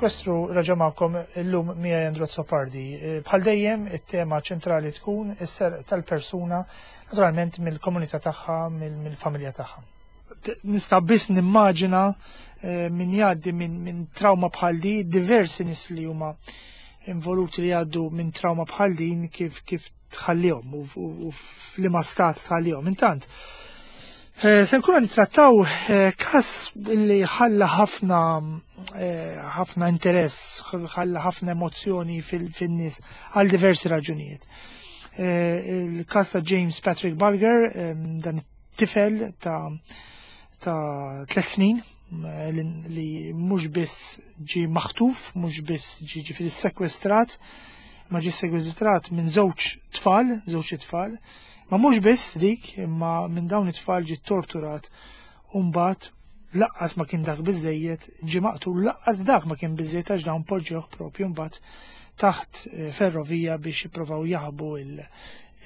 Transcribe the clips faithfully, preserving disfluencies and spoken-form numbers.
Sekwestru raġa' magħkom illum miegħi Andrew Azzopardi. Bħal dejjem it-tema ċentrali tkun is-serq tal-persuna, naturalment mill-komunità tagħha, mill-familja tagħha. Nista' biss nimmaġina eh, min jgħaddi minn min trauma bħal di, diversi nies li huma involuti li jgħaddu minn trauma bħal din kif kif tħallihom u, u, u f'liema stat tħallihom. Intant, eh, se nkunu nittrattaw eh, każ li ħalla ħafna eh, ħafna interess, ħalla ħafna emozzjoni fin-nies għal diversi raġunijiet. Il-każ ta' James Patrick Bulger, dan it-tifel ta' ta' tliet snin li mhux biss ġi maħtuf, mhux biss ġi ġifieri sekwestrat, ma ġi sekwestrat minn żewġ tfal, żewġ tfal, ma mhux biss dik, imma minn dawn it-tfal ġi torturat u mbagħad lanqas ma kien dak biżejjed, ġi maqtul, lanqas dak ma kien biżejjed għax dawn poġġewh propju mbagħad taħt eh, ferrovija biex jippruvaw jaħbu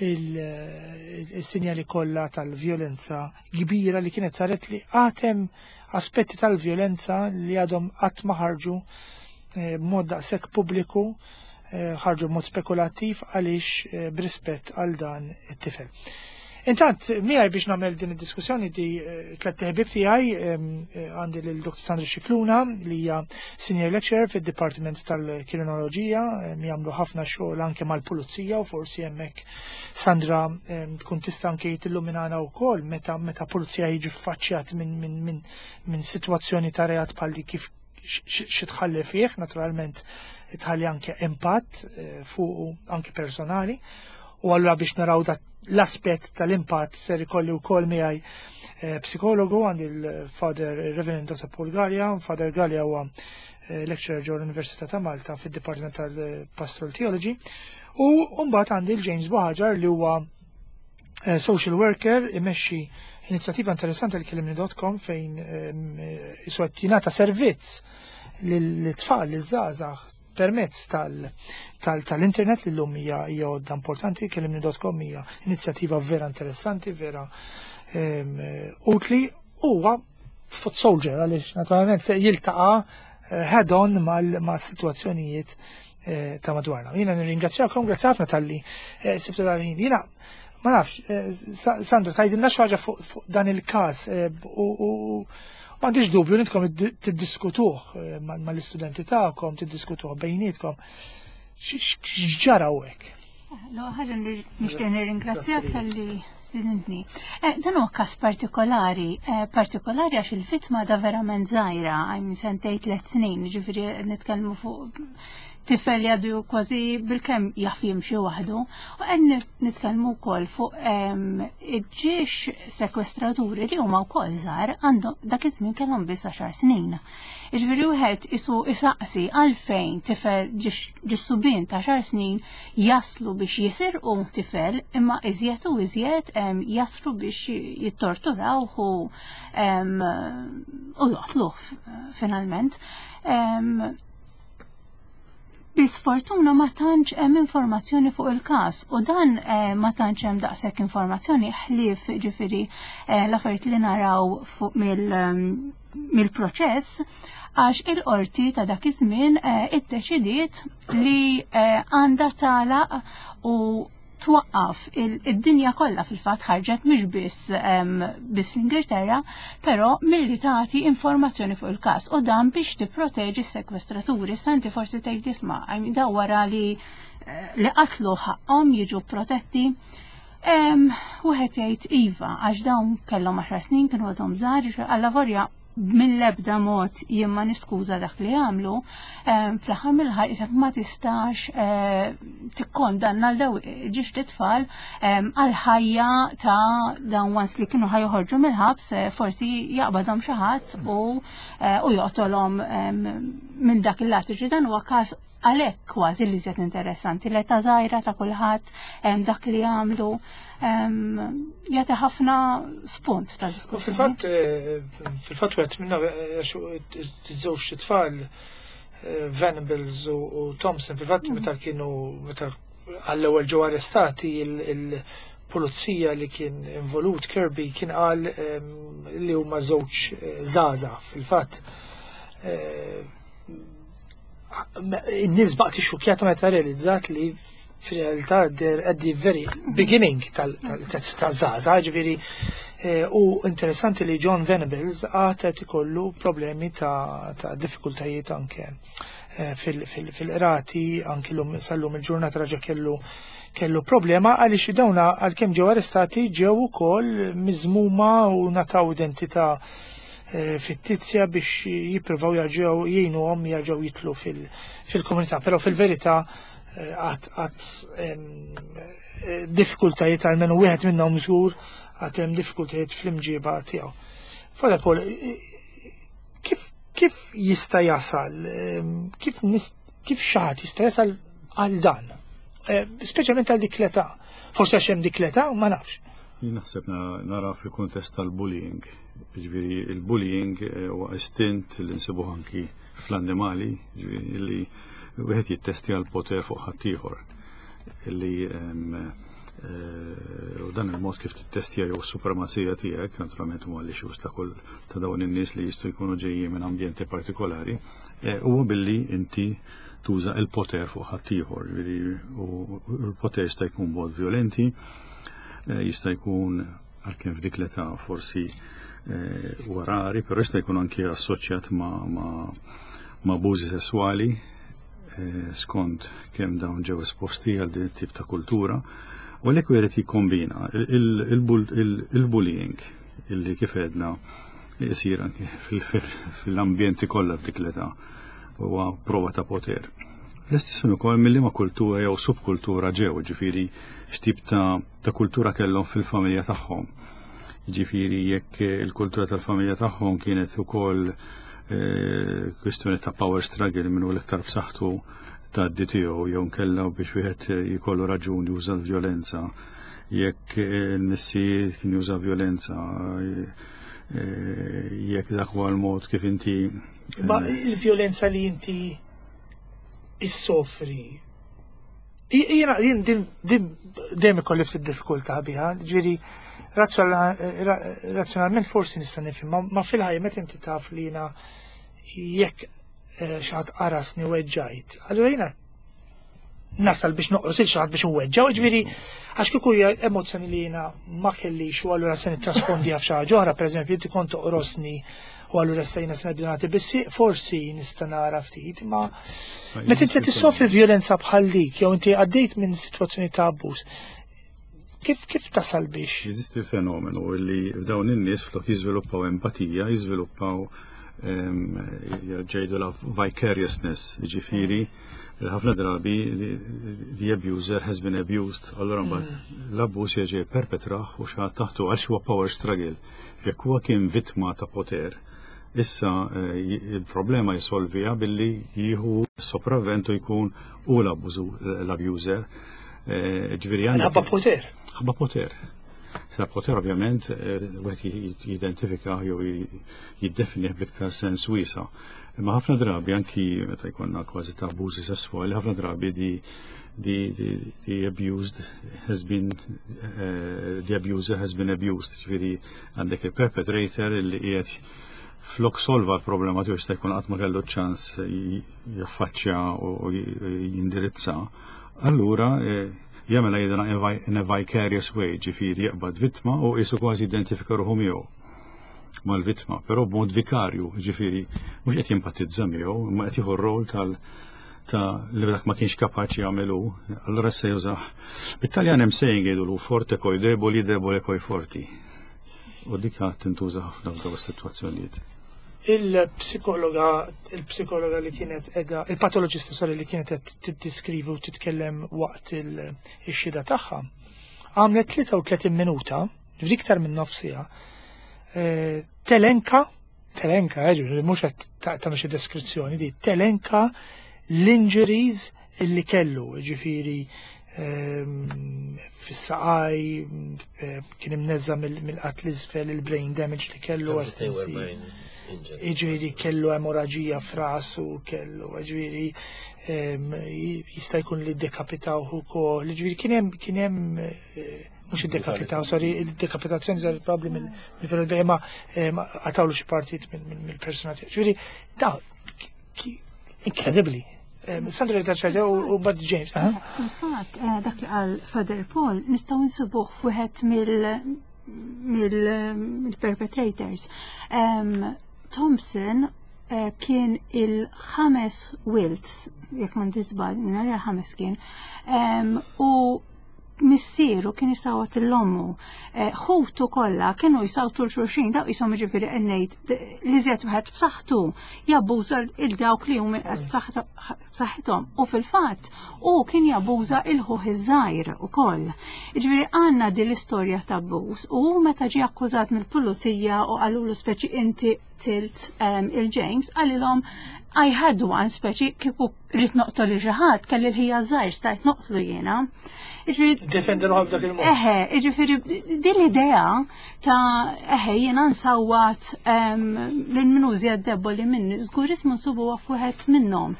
il-sinjali kollha tal-vjolenza kbira li kienet saret, li għad hemm aspetti tal-vjolenza li għadhom qatt ma ħarġu eh, b'mod daqshekk pubbliku, eh, ħarġu b'mod spekulattiv għaliex eh, b'rispett għal dan it-tifel. Intant, miegħi biex nagħmel din id-diskussjoni di tliet ħbieb tiegħi, għandi lil Doktor Sandra Scicluna li hija senior lecturer fid-Dipartiment tal-Kriminoloġija, jagħmlu ħafna xogħol anke mal-pulizija u forsi hemmhekk Sandra tkun tista' anke tilluminana wkoll meta meta pulizija jiġi ffaċċjat minn min, min, min sitwazzjoni ta' reat bħal di kif xi tħalli fih, naturalment tħalli anke impatt fuq anke personali. U allura biex naraw dat l-aspett tal-impatt ser ikolli wkoll miegħi eh, psikologu, għandi il-Father Reverend Doctor Paul Galea. Father Galea huwa eh, lecturer ġo l-Università ta' Malta fid-Dipartiment tal-Pastoral Theology. U mbagħad għandi l-James Buhagiar li huwa eh, social worker, imexxi inizjattiva interessanti li kellimni punt com fejn isu qed jingħata servizz lill-tfal, liż-żgħażagħ permezz tal-internet li l-lum hija għodda importanti. Kellimni punt com hija inizjattiva vera interessanti, vera utli. Huwa foot soldier għaliex naturalment se jiltaqa' eh, head on ma' situazzjonijiet eh, ta' madwarna. Jiena nirringrazzjakom, grazzi ħafna talli eh, sibtu dal-ħin. Jiena ma nafx, Sandra, tgħidilna xi ħaġa fuq dan il-każ u m'għandix dubju li intkom tiddiskutuh mal-istudenti tagħkom, tiddiskutuh bejnietkom. X'ġara hekk? Lo, ħaġa nixtieq nirringrazzjak talli stidintni. Dan huwa każ partikolari, partikolari għax il-vittma da verament żgħira, għajmin sentejn, tliet snin, ġifieri nitkellmu fuq tifel jgħadu kważi bilkemm jaf jimxi waħdu. U qed nitkellmu wkoll fuq iġġiex sekwestraturi li huma wkoll żgħar, għandhom dak iż-żmien kellhom biss għaxar snin. Jiġifieri wieħed isu isaqsi għalfejn tifel ġiex subien ta' għaxar snin jaslu biex jisirqu tifel, imma iżjed u iżjed jaslu biex jittorturaw u u joqtluh finalment. Bi sfortuna ma tantx hemm informazzjoni fuq il-każ u dan eh, ma tantx hemm daqshekk informazzjoni ħlief ġifieri eh, l-affarijiet li naraw fuq mill-proċess, għax il-qorti ta' dak iż-żmien eh, iddeċidiet li għandha tagħlaq u twaqqaf id-dinja kollha, fil-fatt ħarġet mhux biss biss l-Ingilterra, però milli tagħti informazzjoni fuq il-każ u dan biex tipproteġi s-sekwestraturi. Santi forsi tgħid, isma' da wara li eh, li qatlu ħaqhom jiġu protetti. Wieħed jgħid iva, għax dawn kellhom għaxar snin, kienu għadhom żgħar, allavolja mill-ebda mod jien ma niskuża dak li għamlu, fl-aħħar mill-aħħar ma tistax eh, tikkondanna l daw ġiex tfal għal-ħajja ta' dawn once li kienu ħa joħorġu mill-ħabs, eh, forsi jaqbadhom xi ħadd u eh, u joqtolhom minn dak il-lat. Dan huwa każ għalhekk kważi li żjed interessanti, l-età żgħira ta' kulħadd, dak li għamlu jagħti ħafna spunt ta' diskussjoni. Fil-fatt eh, fil-fatt wieħed minna eh, żewġ tfal, eh, Venables u Thompson, fil-fatt mm. meta kienu meta għall-ewwel ġew arrestati, il-pulizija li kien involut, Kirby, kien qal li huma żewġ żgħażagħ. Fil-fatt In-nies baqgħet xukjata meta realizzat li fil-realtà they're at the very beginning tal-żgħażagħ, ġifieri eh, u interessanti li Jon Venables għad qed ikollu problemi ta' ta' diffikultajiet anke eh, fil-qrati, anke l-lum sal-lum il-ġurnata raġa kellu kellu problema għaliex dawna għalkemm ġew arrestati ġew ukoll miżmuma u ngħataw identità eh, fittizja biex jippruvaw jarġgħu jgħinuhom jarġgħu jidħlu fil-komunità, però fil-verità għad għad diffikultajiet, għalmenu wieħed minnhom żgur għad hemm diffikultajiet fl-imġiba tiegħu. Father Paul, kif kif jista' jasal, kif kif xi ħadd jista' jasal għal dan? Speċjalment għal dik l-età. Forsi għax hemm dik l-età, ma nafx. Jien naħseb nara fil-kuntest tal-bullying. Ġifieri il-bullying huwa istint li nsibuh anki fl-annimali, ġifieri li wieħed jittestja l-poter fuq ħaddieħor. Li u dan il-mod kif tittestja jew supremazija tiegħek, naturalment huma l-issues ta' kull ta' dawn in-nies li jistgħu jkunu ġejjin minn ambjenti partikolari, huwa billi inti tuża il-poter fuq ħaddieħor, u l-poter jista' jkun mod violenti, jista' jkun, għalkemm f'dik l-età forsi huwa rari, però jista' jkun anki assoċjat ma' ma' abużi sessuali, skont kemm dawn ġew esposti għal din tip ta' kultura. U għalhekk wieħed jikkombina il-bullying illi kif għedna jsir anki fil-ambjenti kollha f'dik l-età huwa prova ta' poter. L-istess ukoll mill ma kultura jew subkultura ġew, ġifieri x'tip ta' ta' kultura kellhom fil-familja tagħhom. Ġifieri jekk il-kultura tal-familja tagħhom kienet ukoll eh, kwistjoni ta' power struggle, minnu l-iktar b'saħħtu ta' tiegħu, jew nkella biex wieħed jkollu raġun juża l-vjolenza, jekk il-missier kien juża vjolenza, eh, jekk dak huwa l-mod kif inti Ma il-vjolenza li inti issofri. Jiena jien din din dejjem ikolli ftit diffikultà biha, ġifieri razzjonalment forsi nista' nifhem, ma fil-ħajja meta inti taf li jiena jekk eh, xi ħadd qarasni weġġajt, allura jiena nasal biex noqros il xi ħadd biex nweġġaw, ġifieri għax kieku hija emozzjoni li jiena ma kellix u allura se nittraspondi f'xi ħaġa oħra, pereżempju inti kont toqrosni u allura issa jiena se nibda nagħti bissi, forsi nista' nara ftit, ma meta inti tissofri vjolenza bħal dik jew inti għaddejt minn sitwazzjoni ta' abbuż, kif kif tasal biex? Jeżisti fenomenu li f'dawn in-nies flok jiżviluppaw empatija, jiżviluppaw jgħidu la vicariousness, ġifieri ħafna drabi the abuser has been abused, allora mbagħad l-abbuż jerġa' perpetrah u xi ħadd taħtu għax huwa power struggle. Jekk huwa kien vittma ta' poter, issa eh, il-problema jisolvija billi jieħu sopravventu, jkun u l-abuser. Eh, ġifieri Ħabba poter. Ħabba poter. Ta' poter ovvjament eh, wieħed jidentifika jew jiddefinih bl-iktar sens wiesa'. Imma ħafna drabi anki meta jkollna kważi ta' abbużi sessuali, ħafna drabi di the, the, the abused has been uh, the abuser has been abused, ġifieri għandek il-perpetrator li qiegħed flok solva l-problema tiegħu, jista' jkun qatt ma kellu ċans jaffaċċja u jindirizza, allura eh, jagħmilha jidna in a vicarious way, ġifieri jaqbad vittma u qisu kważi identifika ruħu miegħu mal-vittma, però b'mod vikarju, ġifieri mhux qed jimpatizza miegħu, ma qed jieħu r-rol tal ta' li dak ma kienx kapaċi jagħmelu, allura se jużah. Bit-Taljan hemm saying jgħidu "forte coi deboli, debole coi forti". U dik tintuża ħafna f'dawn is-sitwazzjonijiet. Il-psikologa, il-psikologa li kienet edha, il-patologista, sorry, li kienet qed tiskrivi u titkellem waqt il-xhieda tagħha, għamlet tlieta u tletin minuta, ġifieri iktar minn nofs siegħa, eh, telenka, telenka, eh, ġifieri mhux qed tagħmel xi deskrizzjoni di, telenka l-injuries illi kellu, ġifieri ehm, fis-saqaj, eh, kien imneżża' mill-qatt l-isfel, il-brain damage li kellu estensiv. Ġifieri kellu emorraġija f'rasu, kellu, ġifieri ehm, jista' jkun li dekapitaw ukoll, ġifieri kien hemm kien hemm eh, mhux id-dekapitaw, sorry, il-dekapitazzjoni saret probabbli mill ma qatgħulu xi partit mill-persona tiegħu. Ġifieri, da, incredibly. Sandra li taċċajta u bad James. Fil-fatt, dak li qal Father Paul nistgħu nsibuh f'wieħed mill-perpetrators. Thompson kien il-ħames wild, jekk ma nisbal, nhar ħames kien, u missieru kien isawat lil ommu. Ħutu kollha kienu jisawtu 'l xulxin, daw jisom ġifieri ngħid li żjed wieħed b'saħħtu jabbuża il dawk li hum inqas b'saħħithom. U fil-fatt u kien jabbuża il-ħuħ iż-żgħir ukoll. Ġifieri għandna din l-istorja ta' abbuż u meta ġie akkużat mill-pulizija u qalulu speċi inti qtilt il-James, qalilhom I had one speċi kieku rrid noqtol lil xi ħadd kelli l-ħija żgħir stajt noqtlu jiena. Defendi ruħu b'dak il-mod. Eħe, ġifieri din l-idea ta' eħe jiena nsawwat lil min hu iżjed deboli minni, żgur ismu nsibuha f'wieħed minnhom.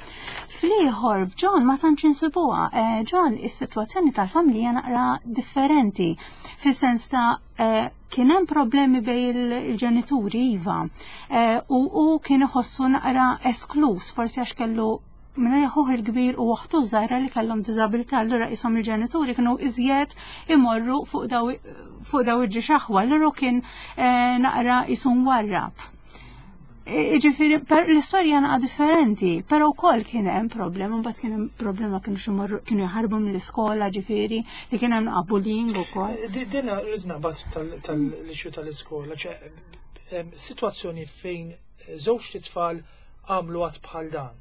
Fl-ieħor f'John ma tantx insibuha. John is-sitwazzjoni tal-familja naqra differenti fis-sens ta' kien hemm problemi bejn il-ġenituri iva u u kien iħossu naqra esklus forsi għax kellu minn ħuħ il-kbir u oħtu żgħira li kellhom diżabilità, allura isom il-ġenituri kienu iżjed imorru fuq daw fuq daw il-ġixaħwa, allura kien naqra jisum warrab. Ġifieri, l-istorja naqa differenti, però wkoll kien hemm problema, mbagħad kien hemm problema kienu xi kienu jaħarbu mill-iskola, ġifieri, li kien hemm bullying ukoll. Dina rrid naqbad tal-issue tal-iskola, ċe sitwazzjoni fejn żewġ tfal għamlu għat bħal dan.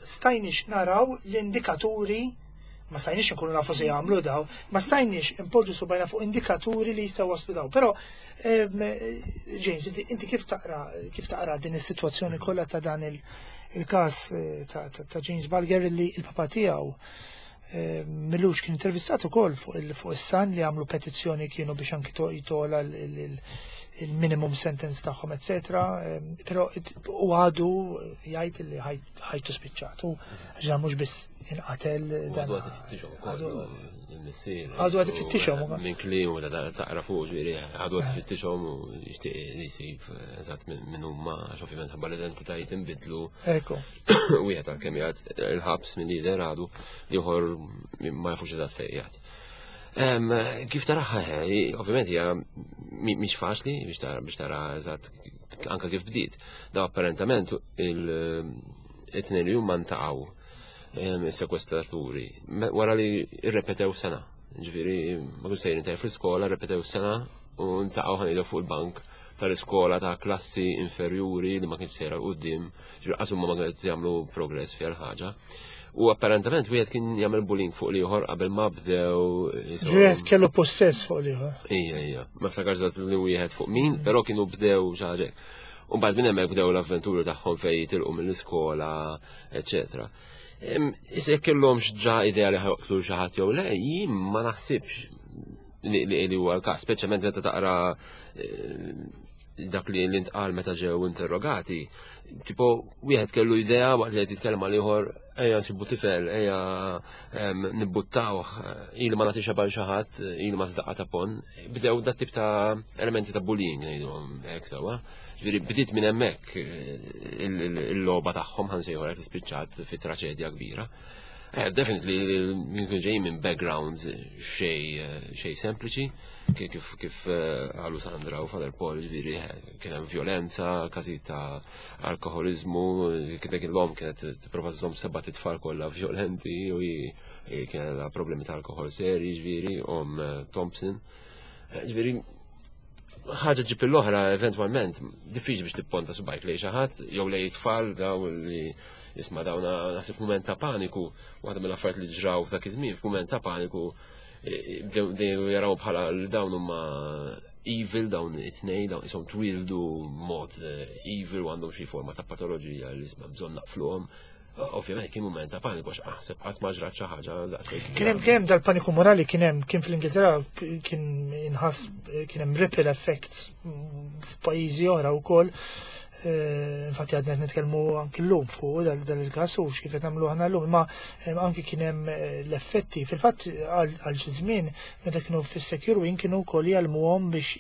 Stajniex naraw l-indikaturi, ma stajniex nkunu nafu se jagħmlu daw, ma stajniex impoġġu subajna fuq indikaturi li jistgħu waslu daw. Però James, inti kif taqra kif taqra din is-sitwazzjoni kollha ta' dan il-każ ta' James Bulger li il-papa tiegħu millux kien intervistat ukoll fuq is-Sun li għamlu petizzjoni kienu biex anki jitola il-minimum sentence tagħhom, eccetera. Però u għadu jgħid li ħajtu spiċċatu, ġa mhux biss inqatel dan. Għadu għad ifittixhom. Minn kliem u taqra fuq ġifieri għadu għad ifittixhom u jixtieq li jsib eżatt minn huma għax ovvjament ħabba l-identitajiet inbidlu. Ekku. Wieħed għalkemm jgħid il-ħabs minn lider għadu ieħor ma jafux eżatt fejn qiegħed. Kif taraha, ovvjament hija mhix faċli biex tara eżatt anke kif bdiet. Da apparentament il-tnejn li huma ntaqgħu is-sekwestraturi wara li rrepetew sena. Ġifieri ma kienx sejrin tajjeb fl-iskola, rrepetew sena u ntaqgħu ħanidu fuq il-bank tal-iskola ta' klassi inferjuri li ma kienx sejra 'l quddiem, ġifieri qas huma ma kienu jagħmlu progress fiha l-ħaġa. U apparentament wieħed kien jagħmel bullying fuq l-ieħor qabel ma bdew. Wieħed kellu possess fuq l-ieħor. Ija, ija. Ma ftakarx li wieħed fuq min, però kienu bdew xi ħaġa. U mbagħad minn hemmhekk bdew l-avventuri tagħhom fejn jitilqu mill-iskola, eċetera. Issa jekk kellhomx ġa idea li ħjoqtlu xi ħadd jew le, jien ma naħsibx li huwa l-każ, speċjalment meta taqra dak li ntqal meta ġew interrogati. Tipo, wieħed kellu idea waqt li qed jitkellem mal ieħor, ejja nsibu tifel, ejja nibbuttawh, ili ma nagħti xabal xi ħadd, ili ma tdaqqa ta' pon. Bdew dat tip ta' elementi ta' bullying ngħidhom hekk sewwa. Ġifieri bdiet minn hemmhekk il-logħba tagħhom ħansejħu li spiċċat fi traċedja kbira. Definitely jkun ġej minn backgrounds xej xej sempliċi, kif kif għalu Sandra u Father Paul, ġifieri kien hemm violenza, każijiet ta' alkoholizmu, kien dak l-om kienet tipprova żżomm seba' tfal kollha violenti u kien problemi ta' alkohol seri, ġifieri om Thompson. Ġifieri ħaġa ġib l-oħra eventwalment diffiċli biex tipponta subajk lejn xi ħadd jew lejn tfal daw li isma' dawna naħseb f'mument ta' paniku, waħda mill-affarijiet li ġraw f'dak iż-żmien f'mument ta' paniku bdew jaraw bħala li dawn huma evil, dawn it-tnejn, dawn isom twildu mod evil u għandhom xi forma ta' patoloġija li isma' bżonn naqfluhom. Ovvjament kien mument ta' paniku għax aħseb qatt ma ġrat xi ħaġa daqshekk. Kien hemm kien hemm dal-paniku morali kien hemm kien fl-Ingilterra kien inħass kien hemm ripple effects f'pajjiżi oħra wkoll. Infatti għadna qed nitkellmu anki llum fuq dan il-każ u x'kif qed nagħmlu aħna llum, imma anki kien hemm l-effetti. Fil-fatt għal xi żmien meta kienu fis-secure wing kienu wkoll jgħallmuhom biex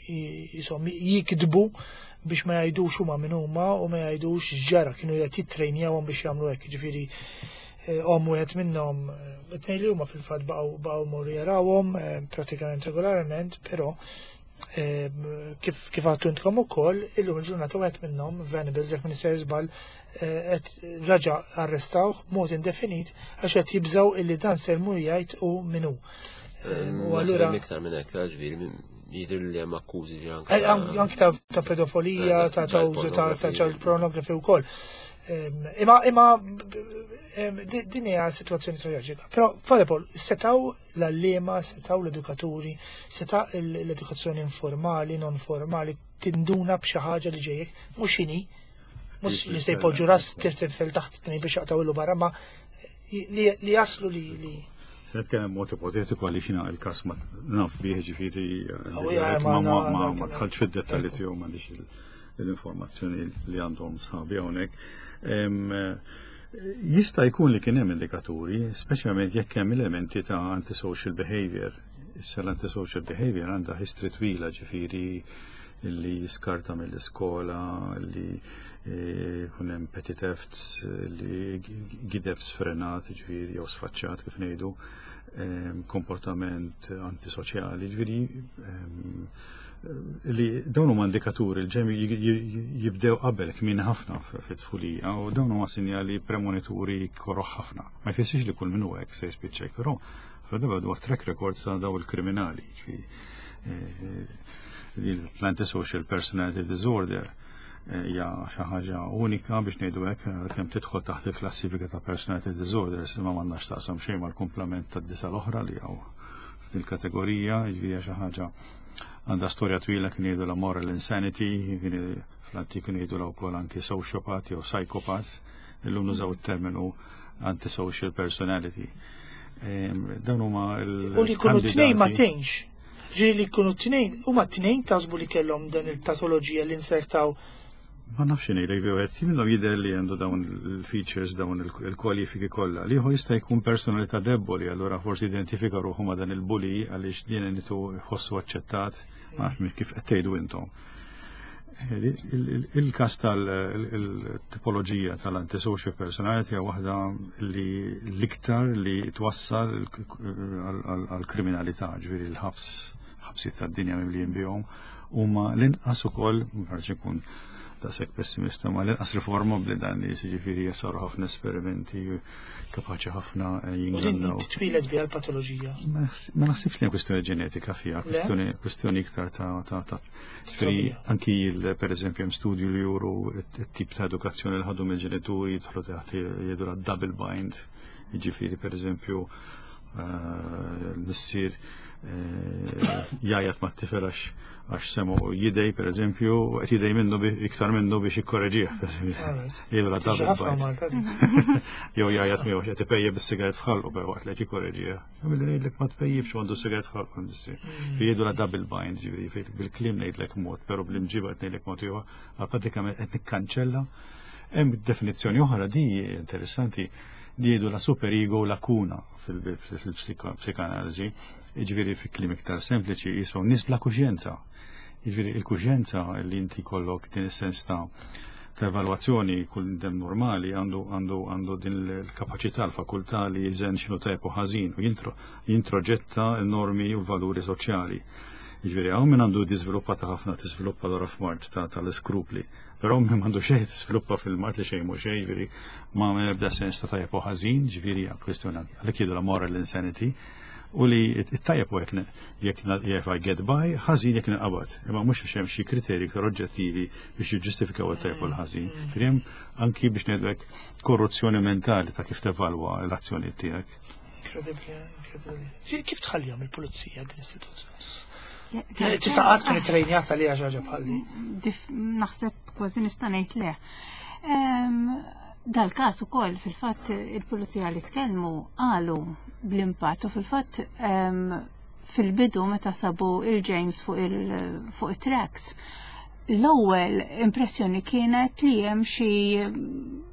jisom jikdbu Biex ma jgħidux huma min huma u ma jgħidux x'ġara, kienu qed jittrejnjawhom biex jagħmlu hekk, ġifieri eh, omm wieħed minnhom, eh, it-tnejn li huma fil-fatt baqgħu baqgħu morru jarawhom eh, pratikament regolarment, però eh, kif kif għedtu intkom ukoll, illum il-ġurnata wieħed minnhom, Venables, jekk m'iniex żball, eh, qed raġa arrestawh b'mod indefinit għax qed jibżaw illi dan ser mur jgħid u min hu. Eh, U allura iktar minn hekk, ġifieri jidher li hemm akkużi li anke Eh, an- anki ta' ta' pedofilija, Eżatt, ta' ta' child użu ta' ta' pornography. child pornography wkoll. Em, Imma imma em, di- din hija situazzjoni traġika. Però Father Paul, setgħu l-għalliema, setgħu l-edukaturi, seta' l-edukazzjoni informali, non formali, tinduna b'xi ħaġa li ġejjek, mhux xini, mhux li se jpoġġu ras tifel taħt tnejn biex jaqtgħu barra, ma li li jaslu li li Se nitkellem mod ipotetiku għaliex jiena il-każ ma naf bih, ġifieri Oh, ja, ma ma- ma ma ma- ma dħaltx fid-dettalji tiegħu, m'għandix il- l-informazzjoni li għandhom sħabi hawnhekk. Em, eh, Jista' jkun li kien hemm indikaturi, speċjalment jekk hemm elementi ta' antisocial behavior. Issa l-antisocial behavior għandha history twila, ġifieri li skarta mill-iskola, li eh, kun hemm petty thefts, li gideb sfrenat, ġifieri, jew sfaċċat kif ngħidu, em, komportament antisoċjali, ġifieri em, li dawn huma indikaturi li ġem jibdew qabel kmin ħafna fit-tfulija u dawn huma sinjali premonituri koroħ ħafna. Ma jfissirx li kull min hu hekk se jispiċċa, però f'darba dwar track record ta' daw il-kriminali, ġifieri eh, l-antisocial personality disorder eh, hija xi ħaġa unika biex ngħidu hekk, kemm tidħol taħt il-klassifika ta' personality disorders, imma m'għandnax taqsam xejn mal-kumplament tad-disa l-oħra li hawn f'din il-kategorija, ġifieri xi ħaġa għandha storja twila. Kien jgħidu la moral insanity, kien fl-antik kien jgħidu la wkoll anki sociopath jew psychopath, illum nużaw it-terminu antisocial personality. Em, Dawn huma il U li jkunu tnejn ma tgħinx. Ġieli li jkunu tnejn, huma tnejn taħsbu li kellhom dan il-patoloġija li insertaw? Ma nafx ngħidlek, wieħed minnhom jidher li għandu dawn il-features, dawn il-kwalifiki kollha. L-ieħor jista' jkun personalità deboli, allura forsi identifika ruħu ma' dan il-bully għaliex din nitu jħossu aċċettat, ma nafx kif qed tgħidu intom. Il-każ tal-tipoloġija tal-antisocial personality hija waħda li l-iktar li twassal għal-kriminalità, ġifieri l-ħabs, ħabsiet tad-dinja mimlijin bihom, huma l-inqas ukoll, ma ikun daqshekk pessimista, ma l-inqas riformabbli dan li, ġifieri jasaru ħafna esperimenti, kapaċi ħafna U din jingannaw. titwieled biha l-patoloġija? Ma naħsibx li hemm kwestjoni ġenetika fiha, Le? kwestjoni kwestjoni iktar ta' ta' ta' ġifieri anki il- per eżempju hemm studju li juru it-tip ta' edukazzjoni li ħadu mill-ġenituri jidħlu taħt jgħidu la double bind. Jiġifieri, per eżempju, eh, l-missier eh, jgħajjat ma' tifel għax għax semu jidej, per eżempju, u qed jidej minnu bi- iktar minnu biex jikkoreġih, per eżempju. Alright. Jgħidu la Tiġi double ħafna bind. Malta din. Jew jgħajjat miegħu qed ipejjep bis-sigaret f'ħalqu per waqt li qed jikkoreġiha. Billi ngħidlek ma tpejjibx, għandu sigaret f'ħalqu missier. Jgħidu la double bind, ġifieri bil-kliem ngħidlek mod, però bl-imġiba qed ngħidlek mod ieħor, għal pratikament qed nikkanċella. Hemm definizzjoni oħra di interessanti di jgħidu la super ego lacuna fil-psikanaliżi, ġifieri fi kliem iktar sempliċi jisom nies bla kuxjenza. Ġifieri il-kuxjenza li inti kollok din is-sens ta' ta' evalwazzjoni, kull dem normali għandu għandu għandu din il-kapaċità, l-fakultà li jiżen x'inhu tajjeb u ħażin u jintro jintroġetta l-normi u l-valuri soċjali. Jiġifieri hawn min għandu diżviluppata ħafna, tiżviluppa lura f'mard ta' tal-iskrupli. Però min m'għandu xejn, tiżviluppa fil-mard li xejn mhu xejn, jiġifieri ma ebda sens ta' tajjeb u ħażin, ġifieri hija kwestjoni għalhekk jgħidu la moral insanity u li it-tajjeb u jekk jekk jekk I get by, ħażin jekk nqabad. Imma mhux għax hemm xi kriterji iktar oġġettivi biex jiġġustifikaw it-tajjeb u l-ħażin. Ġifieri hemm anki biex ngħidlek korruzzjoni mentali ta' kif tevalwa l-azzjoni tiegħek. Inkredibbli, inkredibbli. Ġi, kif tħallihom il-pulizija din is-sitwazzjoni? Tista' qatt tkun ittrejnjata li ħaġa bħal din? Dif- Naħseb kważi nista' ngħid le. Em, Dal-każ ukoll fil-fatt il-pulizija li tkellmu qalu bl-impatt u fil-fatt em, fil-bidu meta sabu il-James fuq il- fuq it-tracks, l-ewwel impressjoni kienet li hemm xi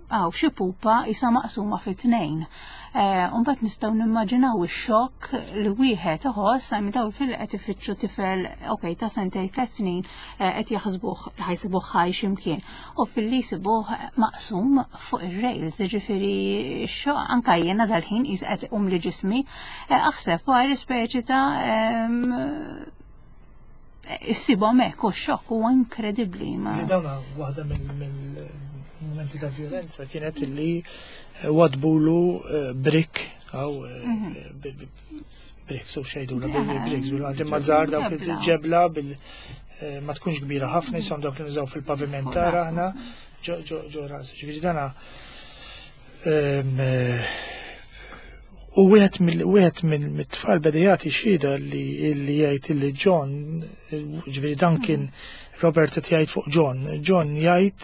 Għaw xi pupa isa maqsuma fi tnejn. Mbagħad nistgħu nimmaġinaw ix-xokk li wieħed iħoss għajmi daw fil qed ifittxu tifel, okej, ta' sentejn, tliet snin, qed jaħsbuh ħajsibuh ħaj x'imkien. U filli jsibuh maqsum fuq ir-rails, jiġifieri x-xokk anke jiena dal-ħin qis qed iqum li ġismi, aħseb wara speċi ta' issibhom hekk u x-xokk huwa inkredibbli. Dawna waħda mill-momenti ta' violenza kienet illi wadbulu brick għaw bricks u xejdu bricks bil-għanti mażar dawk il-ġebla bil ma tkunx kbira ħafna jisom dawk li nużaw fil-pavimentar aħna ġo ġo ras. Ġifieri dana u wieħed mill-wieħed mill-tfal beda jagħti xhieda li jgħid li John, ġifieri dan kien Robert qed jgħid fuq John. John jgħid,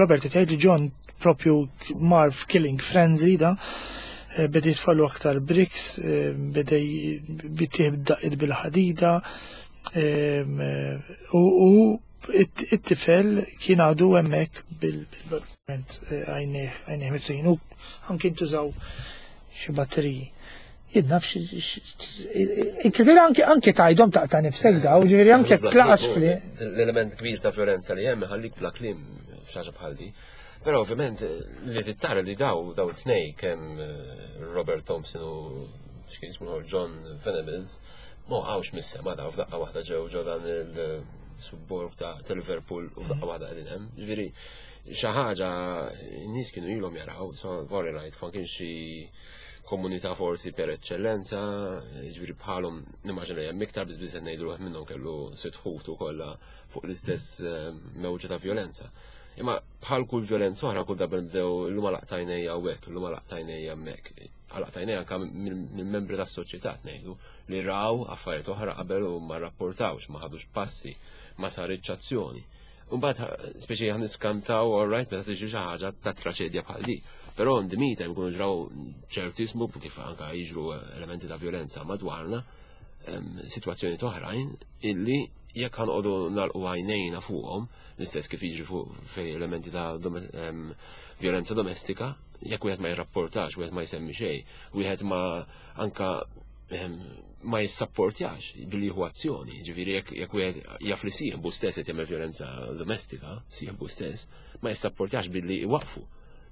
Robert qed jgħid li John propju mar f'killing frenzy da, beda jitfallu aktar bricks, beda jittieħ daqqiet bil-ħadida, u it-tifel kien għadu hemmhekk bil-ment għajnejh miftuħin u anke ntużaw xi batteriji. Jien naf xi anke anke tgħidhom taqta' nifsek daw, ġifieri anke tlaqas fli. L-element kbir ta' violenza li hemm ħallik bla kliem f'xi bħal di. Però ovvjament li tittara li daw daw tnej kemm Robert Thompson u x'kien ismu John Venables ma għawx mis-sema daw f'daqqa waħda ġew ġew dan il-suburb ta' Liverpool u f'daqqa waħda qegħdin hemm. Ġifieri xi ħaġa n-nies kienu ilhom jaraw, so vorri rajt ma kienx xi komunità forsi per eccellenza, ġifieri bħalhom nimmaġina hemm iktar biss biss ngħidu ruħ minnhom kellu sitt ħutu kollha fuq l-istess mewġa ta' violenza. Imma bħal kull violenza oħra kull darba nibdew illum għalaqtajnejja hawnhekk, illum għalaqtajnejja hemmhekk. Għalaqtajnejja anke mill-membri tas-soċjetà ngħidu li raw affarijiet oħra qabel u ma rrapportawx, ma ħadux passi, ma saritx azzjoni. Mbagħad speċi aħna niskantaw all right meta tiġi xi ħaġa ta' traċedja bħal di. Però on the meantime jkunu ġraw ċertismu kif anke jiġru elementi ta' violenza madwarna, sitwazzjoni oħrajn illi jekk ħanqogħdu nagħlqu għajnejna fuqhom, l-istess kif jiġri fuq fej elementi ta' violenza domestika, jekk wieħed ma jirrapportax, wieħed ma jsemmi xejn, wieħed ma anka ma jissapportjax billi jieħu azzjoni, ġifieri jekk wieħed jaf li sieħbu stess qed jagħmel violenza domestika, sieħbu stess, ma jissapportjax billi iwaqfu,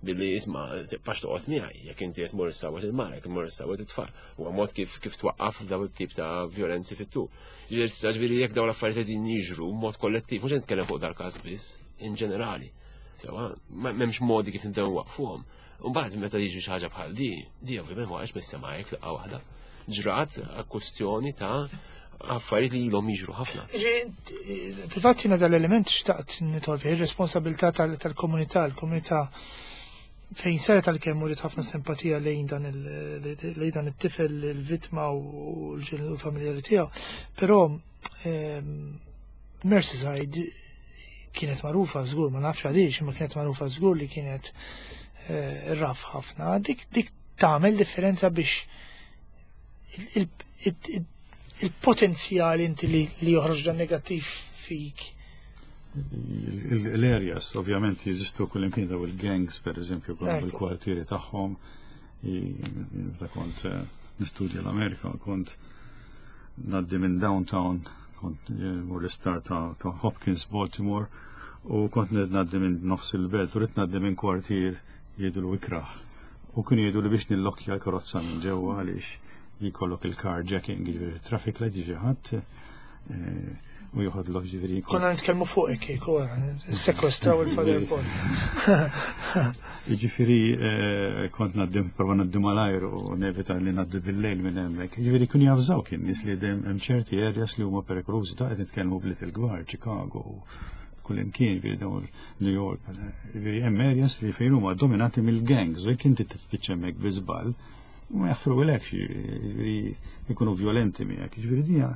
billi isma' tibqax toqgħod miegħi, jekk inti qed tmur issawwet il-mara, jekk tmur issawwet it-tfal. Huwa mod kif kif twaqqaf dawn it-tip ta' violenzi fit-tul. Ġifieri jekk dawn l-affarijiet qegħdin jiġru b'mod kollettiv, mhux qed nitkellem fuq dal-każ biss, in ġenerali. Sewa, m'hemmx modi kif nibdew nwaqfuhom. Mbagħad meta jiġri xi ħaġa bħal di, di ovvjament ma għax mis-sema hekk laqgħa waħda. Ġrat kwestjoni ta' affarijiet li ilhom jiġru ħafna. Fil-fatt jiena dal-element xtaqt nidħol fih ir-responsabilità tal-komunità, l-komunità fejn saret għalkemm uriet ħafna simpatija lejn dan lejn dan it-tifel, il-vittma u l-familjari tiegħu, però Merseyside kienet magħrufa żgur, ma nafx għaliex, imma kienet magħrufa żgur li kienet raf ħafna. Dik dik tagħmel differenza biex il-potenzjal inti li joħroġ dan negattiv fik. L-areas, ovvjament, jeżistu kull imkien daw il-gangs, per eżempju, il-kwartieri tagħhom. Meta kont nistudja l-Amerika, kont ngħaddi minn downtown, kont mur l-isptar ta' Hopkins, Baltimore, u kont ngħaddi minn nofs il-belt, u ridt ngħaddi minn kwartier jgħidu l-ikraħ. U kienu jgħidu li biex nillokja l-karozza minn ġewwa għaliex jkollok il-carjacking, jiġifieri traffic light jiġi ħadd u joħodlok ġifieri. Konna nitkellmu fuq hekk kieku, sekwestraw il-Father Paul. Jiġifieri kont ngħaddi prova ngħaddi malajr u nevita li ngħaddi bil-lejl minn hemmhekk. Jiġifieri kienu javżaw kien nies li hemm ċerti areas li huma perikolużi, ta' qed nitkellmu bliet il-kbar, Chicago, kull imkien, jiġifieri dawn New York, jiġifieri hemm areas li fejn huma dominati mill-gangs u jekk inti tispiċċa hemmhekk bi żball, ma jaħfrulekx, jiġifieri jkunu violenti miegħek. Jiġifieri dija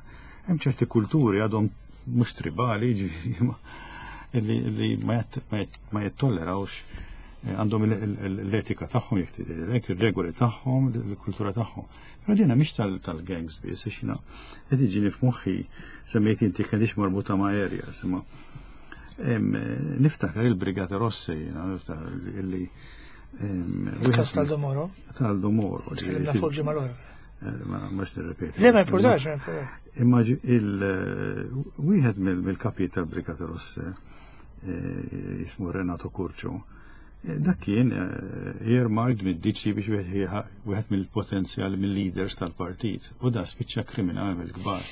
hemm ċerti kulturi għadhom mhux tribali, jiġifieri li ma jittollerawx, għandhom l-etika tagħhom, jekk tgħidlek, ir-regoli tagħhom, il-kultura tagħhom. Però dina mhix tal-gangs biss, għax jiena qed jiġini f'moħħi semmejt inti kellix marbuta ma' areas, imma Niftakar il-Brigata Rosse, niftakar illi. Il-kas tal-Aldo Moro? Tal-Aldo Moro. Tkellimna fuq ġimgħa l-oħra. Ma mhux nirrepeti. Le, ma importax, ma importax. Imma wieħed mill-kapijiet tal-Brigata Rosse, jismu Renato Curcio, dak kien earmarked mid-D C biex wieħed mill-potenzjal mill-leaders tal-partit u da spiċċa kriminali mill-kbar.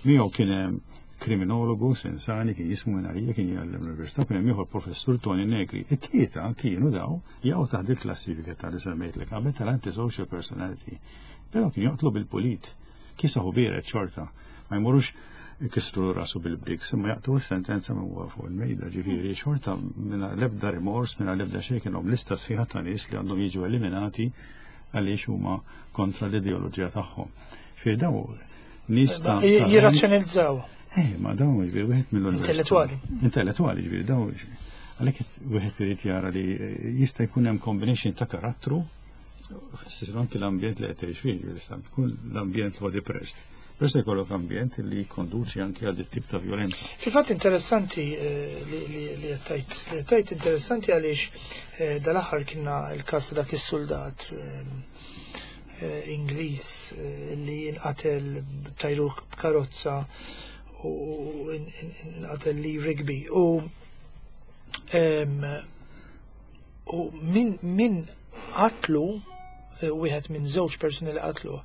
Miegħu kien hemm kriminologu Sensani, kien jismu Minarija, kien jgħallem l-università, kien hemm ieħor, professur Toni Negri. It-tlieta kienu daw jaqgħu taħt il-klassifika tal-li semmejtlek qabel, tal-antisocial personality. Però kien joqtlu bil-pulit, kiesaħ u biered xorta, ma jmorux ikissru rasu bil-bricks, imma jaqtgħu sentenza minn huwa fuq il-mejda, ġifieri xorta mingħajr l-ebda rimors, mingħajr l-ebda xejn. Kienhom lista sħiħa ta' nies li għandhom jiġu eliminati għaliex huma kontra l-ideoloġija tagħhom. Ġifieri daw nies ta' Jirrazzjonalizzaw. Eh, ma dawn ġifieri wieħed mill Intellettuali. Intellettuali, ġifieri daw għalhekk wieħed irid jara li jista' jkun hemm combination ta' karattru, fis anki l-ambjent li qed tgħix fih, ġifieri jista' jkun l-ambjent huwa depressed. Però se jkollok ambjent li jikkonduċi anke għal tip ta' violenza. Fil-fatt interessanti eh, li li tajt, li tajt interessanti għaliex eh, dal-aħħar kienna il-kas ta' dak is-soldat eh, Ingliż li jinqatel, tajruh b'karozza u inqatel li Rigby u u min min qatlu, wieħed minn żewġ persuni li qatlu,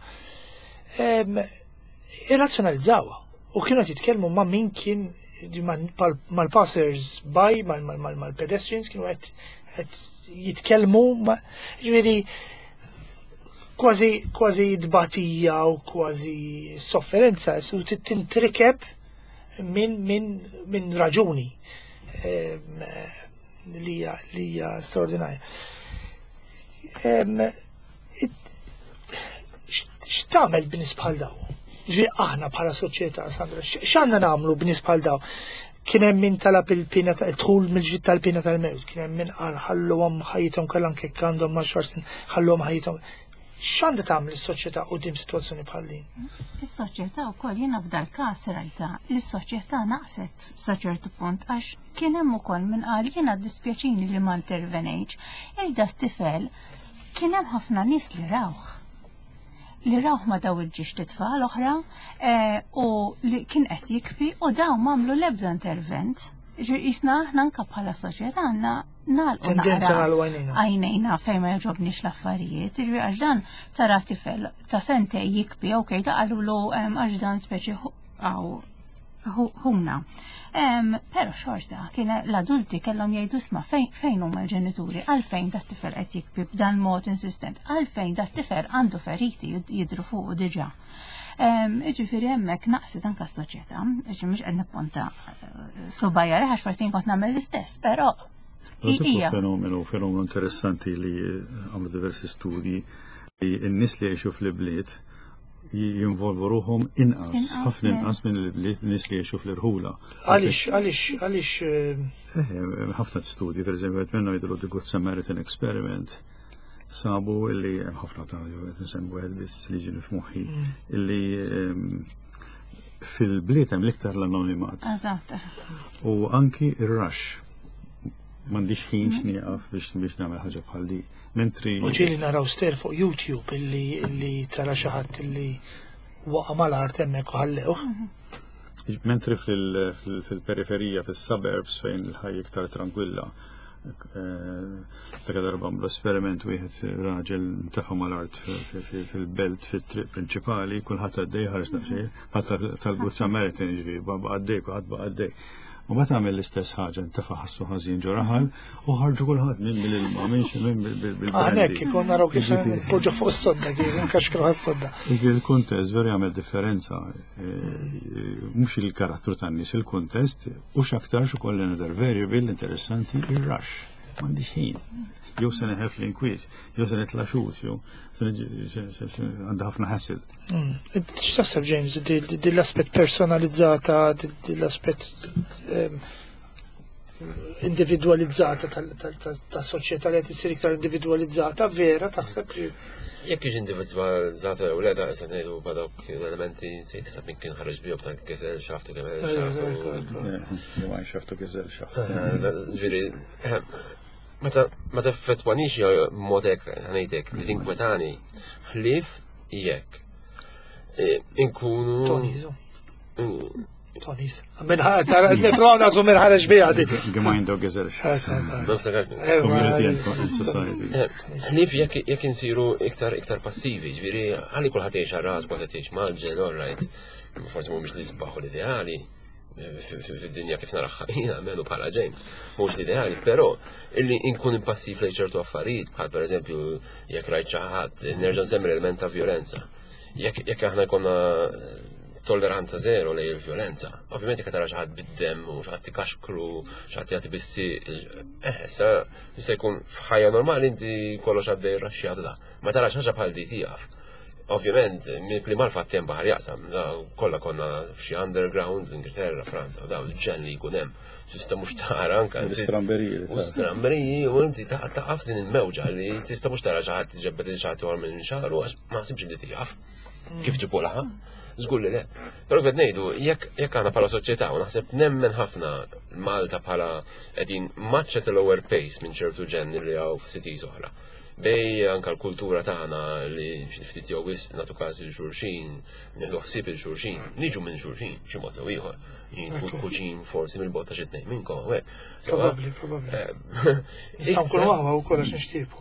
irrazzjonalizzawha u kienu qed jitkellmu ma' min kien mal-passers by, mal-pedestrians, kienu qed jitkellmu, ġifieri kważi kważi dbatija u kważi sofferenza su tintrikeb minn min, min raġuni li hija li hija straordinarja. Em, it- X'tagħmel b'nies bħal daw? Ġifieri aħna bħala soċjetà, Sandra, x- x'għandna nagħmlu b'nies bħal daw? Kien hemm min talab il-pina ta' dħul mill-ġid tal-pina tal-mewt, kien hemm min qal ħalluhom ħajjithom kollha, anke jekk għandhom għaxar snin, ħalluhom ħajjithom. X'għandha tagħmel is-soċjetà quddiem sitwazzjoni bħal din? Is-soċjetà wkoll, jiena f'dal każ rajta li s-soċjetà naqset sa ċertu punt, għax kien hemm ukoll min qal, "Jiena dispjaċini li ma intervenejtx." Il da tifel kien hemm ħafna nies li rawh. Li rawh ma daw il-żewġt itfal oħra eh, u li kien qed jibki u daw m'għamlu l-ebda intervent. Ġi jisna aħna anka bħala soċjetà għandna nagħlqu Tendenza naqra nagħlqu għajnejna. Għajnejna fejn ma jogħġobniex l-affarijiet. Ġifieri għax dan tara tifel ta' sentej jibki, ok, da qalulu em, għax dan speċi hu- għaw hu- ħuna. Em, Pero xorta, kien l-adulti kellhom jgħidu, "Isma', fejn fejn huma l-ġenituri, għalfejn dat tifel qed jibki b'dan mod insistent, għalfejn dat tifel għandu feriti jid- jidru fuq diġà?" Em, Ġifieri hemmhekk naqset anka s-soċjetà, ġi mhux qed nipponta eh, subgħajja għax forsi kont nagħmel l-istess, però Però hija. Fenomenu, fenomenu interessanti li għamlu diversi studi li n-nies li jgħixu fl-bliet jinvolvu ruħhom inqas, Inqas, ħafna eh. inqas minn il-bliet nies li jgħixu fl-irħula. Għaliex, għaliex, għaliex eh, Eh, ħafna studji, per eżempju, qed minnu jidru The Good Samaritan Experiment, sabu illi hemm ħafna ta' qed nsemmu wieħed biss li ġini f'moħħi, illi ehm, fil-bliet hemm l-iktar l-anonimat. Eżatt. U anki ir-rush. M'għandix ħin x'nieqaf biex biex nagħmel ħaġa bħal di. Mentri U ġieli naraw ster fuq YouTube illi illi tara xi ħadd illi waqa' mal-art hemmhekk u ħallewh. Mentri fil- fil- fil-periferija, fil-suburbs, fejn il-ħajja iktar tranquilla. Ta' darba għamlu esperiment, wieħed raġel ntefa' mal-art fil-belt, fit-triq prinċipali, kulħadd għaddej ħares daqsxejn, ħadd tal-Good Samaritan, ġifieri baqa' għaddej, kulħadd baqa' għaddej. U meta għamel l-istess ħaġa, ntefa' ħassu ħażin ġo raħal u ħarġu kulħadd minn mill-ilma, minn xi minn bil-brandy. Aħna kikun naraw kif npoġġu fuq is-sodda, kif nkaxkru għas-sodda. Ġifieri il-kuntest veru jagħmel differenza, eh, mhux il-karattru tan-nies, il-kuntest u x'aktarx ukoll another variable interessanti, ir-rush. M'għandix ħin. Jew se neħef l-inkwiet, jew se nitla' xut, jew se niġi- se- se- se- għandha ħafna hassle. X'taħseb, James, di- di- di l-aspett personalizzata, di- di l-aspett ehm, individualizzata tas-soċjetà li qed issir iktar individualizzata, vera taħseb li Jekk jiġi individwalizzata u le da issa ngħidu b'dawk l-elementi se tisab min kien ħareġ bihom ta' Gesellschaft u Gemein Gesellschaft. Gesellschaft. Ġifieri, meta ma teffettwanix mod hekk ngħidlek li tinkwetani ħlief jekk inkunu. Tonizu. Tonis. Nipprova nasu minn ħareġ biha di. Gemeinde Gesellschaft. Community and society. Ħlief jekk jekk insiru iktar iktar passivi, ġifieri għalli kulħadd jgħix għal kulħadd jgħix mgħaġġel, all right. Forsi mhumiex l-isbaħ u l-ideali fid-dinja kif naraha jiena menu bħala James, mhux l-ideali, però illi inkun impassiv lejn ċertu affarijiet, bħal pereżempju jekk rajt xi ħadd, nerġa' nsemmi l-element ta' violenza. Jekk jekk aħna jkollna tolleranza zero lejn il-violenza. Ovvjament jekk tara xi ħadd bid-dem u xi ħadd ikaxkru, xi ħadd jagħti bissi, eh, issa jista' jkun f'ħajja normali inti kollox għaddej raxxjat da. Ma tarax ħaġa bħal di tieqaf. Ovvjament, li mal-fatt hemm baħar jaqsam, da kollha konna f'xi underground l-Ingilterra, Franza, u daw il-ġen li jkun hemm. Tista' mhux tara anka. Stramberiji. U stramberiji, u inti taqaf din il-mewġa li tista' mhux tara xi ħadd ġebbed il xi ħadd minn xagħru għax ma nsibx li tieqaf. Kif ġibu laħa? Żgur li le. Però qed ngħidu, jekk jekk aħna bħala soċjetà u naħseb nemmen ħafna Malta bħala qegħdin much at a lower pace minn ċertu ġenni li hawn f'cities oħra. Bej anka l-kultura tagħna li xi ftit jew wisq nagħtu każ il xulxin, nieħdu ħsieb il xulxin, niġu minn xulxin xi mod jew ieħor. Jien kuġin forsi mill-bogħod ta' xi tnejn minnkom hawnhekk. Probabbli, probabbli. Nistgħu nkunu aħwa wkoll għax nixtiequ.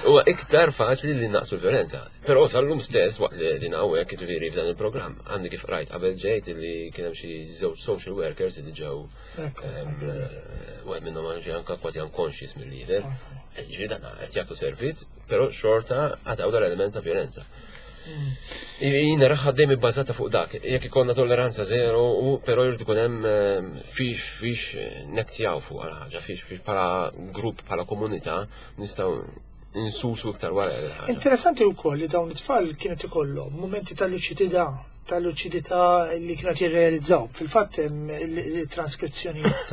Huwa iktar faċli li naqsu l-violenza. Però sal-lum stess waqt li din hawnhekk jiġifieri f'dan il-programm għandi kif rajt qabel ġejt li kien hemm xi żewġ social workers li ġew wieħed minnhom anke anke kważi unconscious mill-lider. Ġifieri dan qed jagħtu servizz, però xorta għataw dal-element ta' violenza. Jina raħħa dejjem ibbażata fuq dak, jekk ikollna tolleranza zero, u però jrid ikun hemm fiex fiex nektjaw fuq għal ħaġa, fiex fiex bħala grupp, bħala komunità nistgħu insusu iktar wara l-ħaġa. Interessanti wkoll li dawn it-tfal kienet ikollhom momenti ta' luċidità, ta' luċidità li kienet jirrealizzaw. Fil-fatt hemm il-transkrizzjonijiet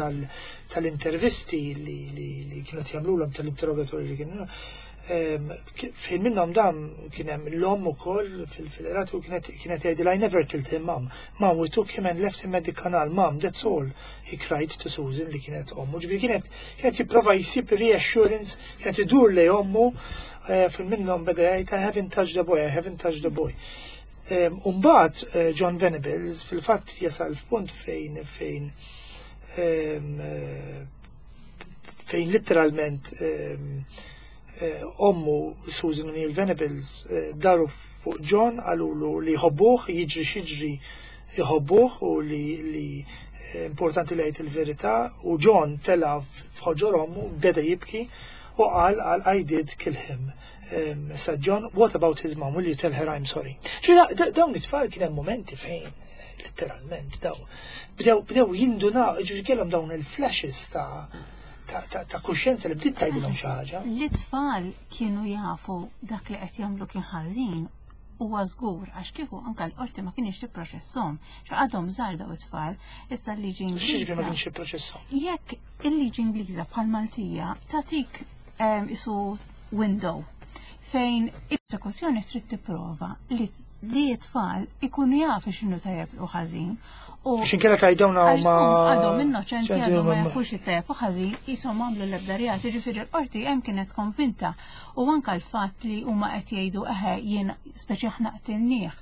tal-intervisti li li kienet jagħmluhom tal-interrogatorji li kienu Fejn minnhom dan kien hemm l-omm ukoll fil-qrati u kienet kienet jgħidilha I never killed him, mom. Mom, we took him and left him at the canal. Mom, that's all. He cried to Susan li kienet ommu. Ġifieri kienet kienet jipprova jsib reassurance, kienet idur lej ommu fil minnhom beda jgħid I haven't touched the boy, I haven't touched the boy. Umbagħad John Venables fil-fatt jasal f'punt fejn fejn fejn literalment ommu Susan O'Neill Venables daru fuq John qalulu li jħobbuh, jiġri x'jiġri jħobbuh u li li importanti li jgħid il-verità u John tela f'ħoġor ommu beda jibki u qal qal I did kill him. Sa John, what about his mom? Will you tell her I'm sorry? Ġifieri dawn it-tfal kien hemm momenti fejn literalment daw bdew bdew jindunaw, ġifieri kellhom dawn il-flashes ta' ta' ta' kuxjenza li bdiet tgħidilhom xi ħaġa. L-itfal kienu jafu dak li qed jagħmlu kien ħażin huwa żgur għax kieku anke l-qorti ma kienx tipproċesshom. Għadhom żgħar daw it-tfal, issa l-liġi X'jiġifieri ma kienx jipproċesshom? Jekk il-liġi Ingliża bħal Maltija tagħtik isu window fejn il-prosekuzzjoni trid tipprova li li t-tfal ikunu jafu x'inhu tajjeb u ħażin. U X'inkella tajdawna huma għadhom innoċenti għadhom ma jafux it-tajjeb u ħażin qishom għamlu l-ebda reat, jiġifieri l-qorti hemm kienet konvinta u anke l-fatt li huma qed jgħidu eħe jien speċi aħna qtilnieh,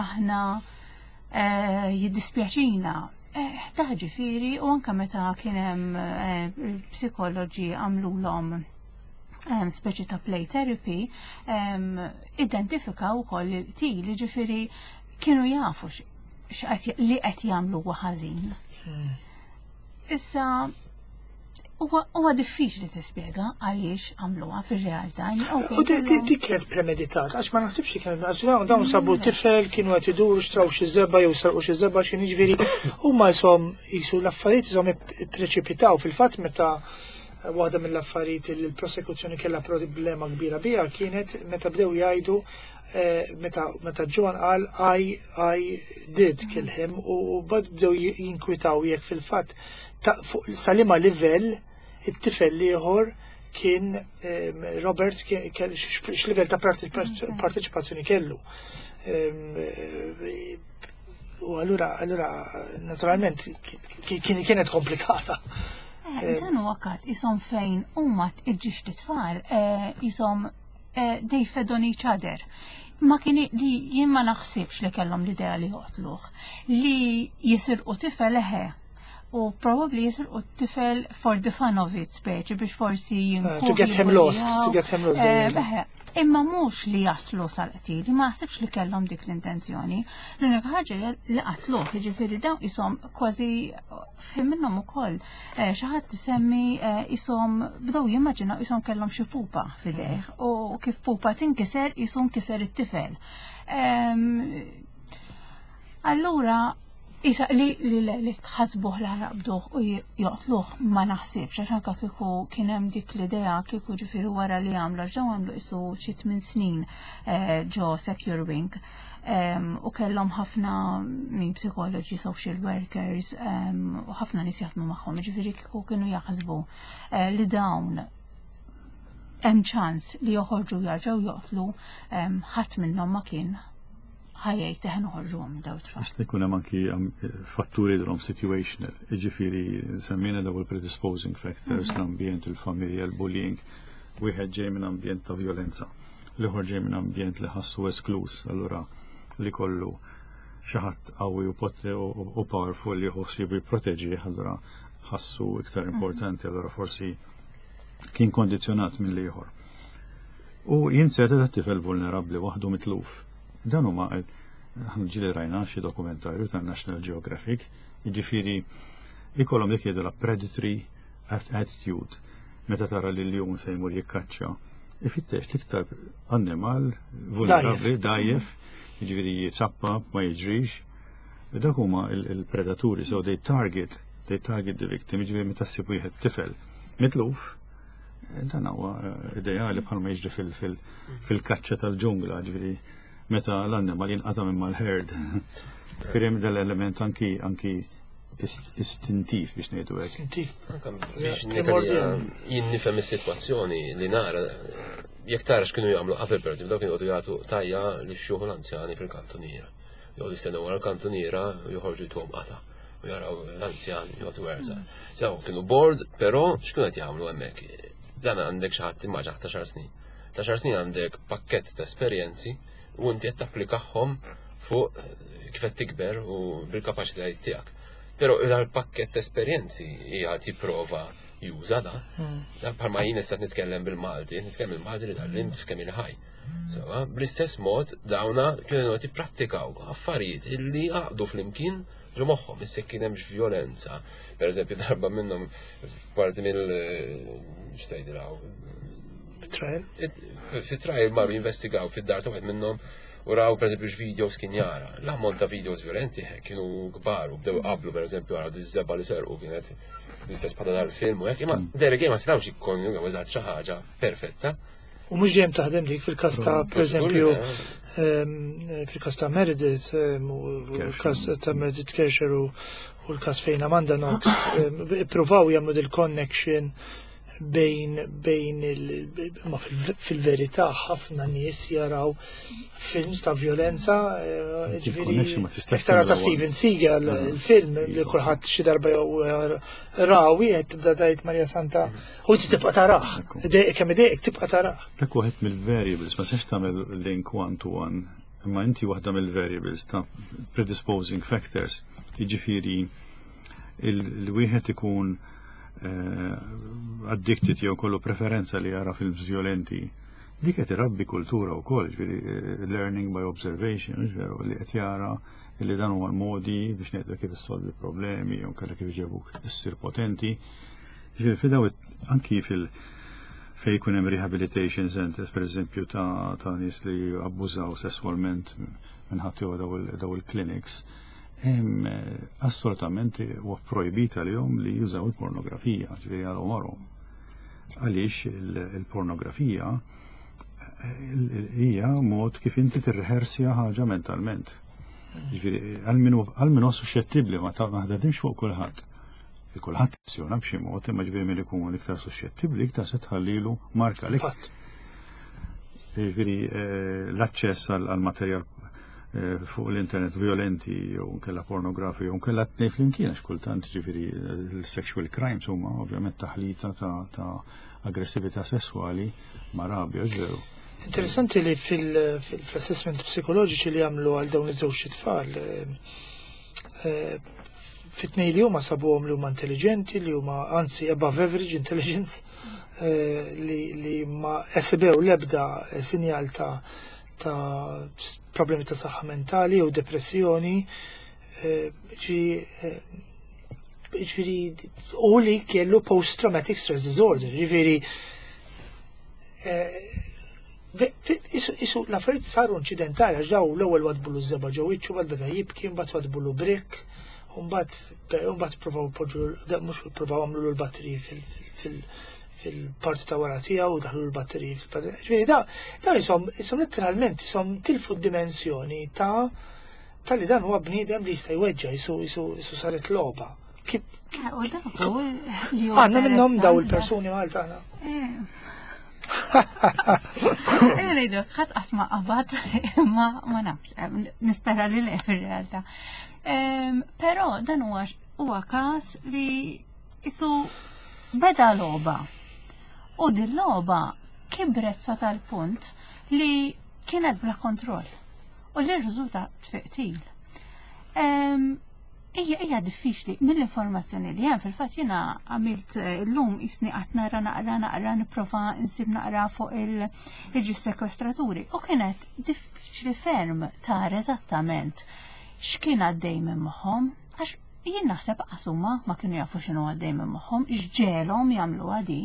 aħna eh, jiddispjaċina. Eh, Ta' ġifieri u anke meta kien hemm eh, il-psikoloġi għamlulhom um, speċi ta' play therapy, um, identifikaw ukoll il-qtil, ġifieri kienu jafu x- li qed jagħmlu huwa ħażin. Issa huwa huwa diffiċli tispjega għaliex għamluha fir-realtà. U di- di di kienet premeditat, għax ma naħsibx li kienet, għax dawn dawn sabu tifel, kienu qed iduru xtraw xi żebgħa jew sarqu xi żebgħa xi jiġifieri huma jisom jisu l-affarijiet jisom ippreċipitaw fil-fatt meta waħda mill-affarijiet li l-prosekuzzjoni kellha problema kbira biha kienet meta bdew jgħidu eh, meta meta John qal I I did kill him u bad bdew jinkwitaw jekk fil-fatt ta' fuq sa liema livell it-tifel ieħor kien em, Robert kien- kell- x'livell ta' parteċipazzjoni kellu. Em, eh, U allura, allura, naturalment, ki- kien kienet komplikata. Eh, Dan huwa każ isom fejn huma iġġiex tfal isom eh, they fed on each other. Ma kien li jien ma naħsibx li kellhom l-idea li joqtluh. Li jisirqu tifel eħe. U probably jisirqu tifel for the fun of it speċi biex forsi Uh, to get him lost, to get him lost, Eh, eħe, Imma mhux li jaslu sal-qtil, ma naħsibx li kellhom dik l-intenzjoni. L-unika ħaġa hija li qatluh, jiġifieri dawn isom kważi fim minnhom ukoll. Eh, Xi ħadd tisemmi eh, isom bdew jimmaġinaw isom kellhom xi pupa f'idejh u kif pupa tinkiser isom kiser it-tifel. Em, Allura, Isa, li li li li ħasbuh li ħabduh u joqtluh ma naħsibx, għax anka kieku kien hemm dik l-idea kieku ġifieri wara li għamlu, għax dawn għamlu isu xi tmien snin eh, ġo Secure Wing. Em, u kellhom ħafna min psikoloġi, social workers, em, u ħafna nies jaħdmu magħhom, ġifieri kieku kienu jaħsbu eh, li dawn hemm ċans li joħorġu jarġgħu joqtlu, em, ħadd minnhom ma kien ħa jgħid eħe noħorġuhom minn daw it-tfal. Għax ikun hemm anki am, fatturi drom situational, jiġifieri semmejna daw il-predisposing factors, l-ambjent, il-familja, il-bullying, wieħed ġej minn ambjent ta' violenza, l-ieħor ġej minn ambjent li ħassu esklus, allura li kollu xi ħadd qawwi u pot- u u powerful li jħoss li jipproteġi, allura ħassu iktar importanti, allura forsi kien kondizjonat minn l-ieħor. U jinseta ta' tifel vulnerabli waħdu mitluf. Dan huma aħna ġieli rajna xi dokumentarju ta' National Geographic, jiġifieri ikollhom dik jgħidu la predatory attitude meta tara li l-jum se jmur jikkaċċa. Ifittex l-iktar annimal vulnerabbli, dajjef, jiġifieri jitsappa, ma jiġrix. Dak huma il- il-predaturi, so they target, they target the victim, jiġifieri meta ssib wieħed tifel mitluf, dan huwa eh, ideali bħalma jiġri fil- fil- fil-kaċċa tal-ġungla, ġifieri meta l-annimal jinqata' minn mal-herd. Firem dal-element anki anki ist- istintiv biex ngħidu hekk. Istintiv. Anka biex Primordial. nitalja jien nifhem is-sitwazzjoni li nara jekk tara x'kienu jagħmlu qabel pereżempju dawk kienu jqogħdu jagħtu tajja li xjuħu l-anzjani fil-kantuniera. Joqogħdu jistennew wara l-kantuniera u joħorġu jtuhom qata u jaraw l-anzjani jgħatu werza. So kienu bored, però x'kienu qed jagħmlu hemmhekk? Dan għandek xi ħadd immaġina ta' xar snin. Ta' xar snin għandek pakkett ta' esperjenzi u inti qed tapplikahom fuq kif qed tikber u bil-kapaċitajiet tiegħek. Però dal-pakket ta' esperjenzi hija jipprova juża da. Da bħalma jien issa nitkellem bil-Malti, nitkellem bil-Malti li tgħallimt f'kemm ili ħaj. Sewa, bl-istess mod dawna kienu qed jipprattikaw affarijiet illi għaqdu flimkien ġo moħħhom, issa kien hemmx violenza. Per eżempju, darba minnhom parti mill x'tgħidilhaw, Trial. fi trial marru jinvestigaw fid-dar ta' wieħed minnhom u raw per eżempju x'videos kien jara. L-ammont ta' videos violenti eh, kienu kbar u bdew qablu per eżempju għaraw diż-żebgħa li serqu kienet l-istess bħala dal-film u hekk, imma derek ma setgħux jikkonjugaw eżatt xi ħaġa perfetta. U mhux dejjem taħdem dik fil-każ ta' per eżempju ehm, fil-każ ta' Meredith ehm, u l-każ ta' Meredith Kercher u u l-każ fejn Amanda Knox ehm, ippruvaw jagħmlu dil-connection bejn bejn il ma fil- fil-verità ħafna nies jaraw films ta' violenza eh, ġifieri Il-connection ma tistax jekk tara ta' tagħmilha Steven Seagal il-film li kulħadd xi darba jew raw wieħed tibda tgħid Marja Santa u inti tibqa' tarah. Idejqek kemm idejqek tibqa' tarah. Dak waħed mill-variables, ma tistax tagħmel link one to one, imma inti waħda mill-variables ta' predisposing factors. Jiġifieri il-wieħed ikun eh, addicted jew kollu preferenza li jara films violenti. Dik qed irabbi kultura wkoll, ġifieri eh, learning by observation, mhux veru, li qed jara li dan huwa l-modi biex ngħidu kif issolvi problemi jew kellek kif iġebuk issir potenti. Ġifieri fi daw anki fil- fej jkun hemm rehabilitation centers, per eżempju, ta' ta' nies li abbużaw sesswalment minn ħadd jew daw il- daw il-clinics, hemm eh, assolutament huwa projbita lilhom li jużaw il-pornografija, ġifieri għal għomarhom. Għaliex il- il-pornografija eh, il- hija mod kif inti tirrehersja ħaġa mentalment. Ġifieri għal min hu- għal min huwa suscettibbli ma ta' ma ħadimx fuq kulħadd. Kulħadd azzjona b'xi mod, imma ġifieri min ikun iktar suscettibbli iktar se tħallilu marka li. Ġifieri eh, l-aċċess għal materjal eh, fuq l-internet violenti jew nkella pornografi jew nkella t-tnejn flimkien, għax kultant ġifieri l-sexual crimes huma ovvjament taħlita ta' aggressività sessuali ma' rabja, ġveru. Interessanti li fil-assessment psikoloġiċi li għamlu għal dawn iż-żewġ tfal, eh, fit-tnejn li huma sabuhom li huma intelligenti, li huma anzi above average intelligence, eh, li, li ma esibew l-ebda sinjal ta' ta' problemi ta' saħħa mentali u depressjoni, eh, ġifieri u li kellu post-traumatic stress disorder, ġifieri isu l-affarijiet saru inċidentali, għax daw l-ewwel wadbulu żebgħa ġo wiċċu, mbagħad beda jibki, mbagħad wadbulu brick, mbagħad provaw poġġu, mhux provaw għamlu l-batteriji fil-parti ta' wara tiegħu u daħlu l-batteriji fil-parti. Ġifieri da, da jisom, jisom letteralment jisom tilfu d-dimensjoni ta' ta' li dan huwa bniedem li jista' jweġġa, jisu jisu saret logħba. Kif għandna minnhom daw il-persuni Malta għandna. Ngħidu, ħadd qatt ma qabad, ma ma nafx, nispera li le fir-realtà. Però dan huwa huwa każ li isu beda logħba. U din logħba kibret sa tal-punt li kienet bla kontroll. U li rriżulta f'qtil. Ija, ija diffiċli mill-informazzjoni li hemm. Fil-fatt jiena għamilt llum jisni qatt nara naqra naqra nipprova nsib naqra fuq il-ġi sekwestraturi u kienet diffiċli ferm tara eżattament x'kien għaddej minn moħħhom, għax jien naħseb qasuma ma kienu jafu x'inhu għaddej minn moħħhom, x'ġegħelhom jagħmlu għadi.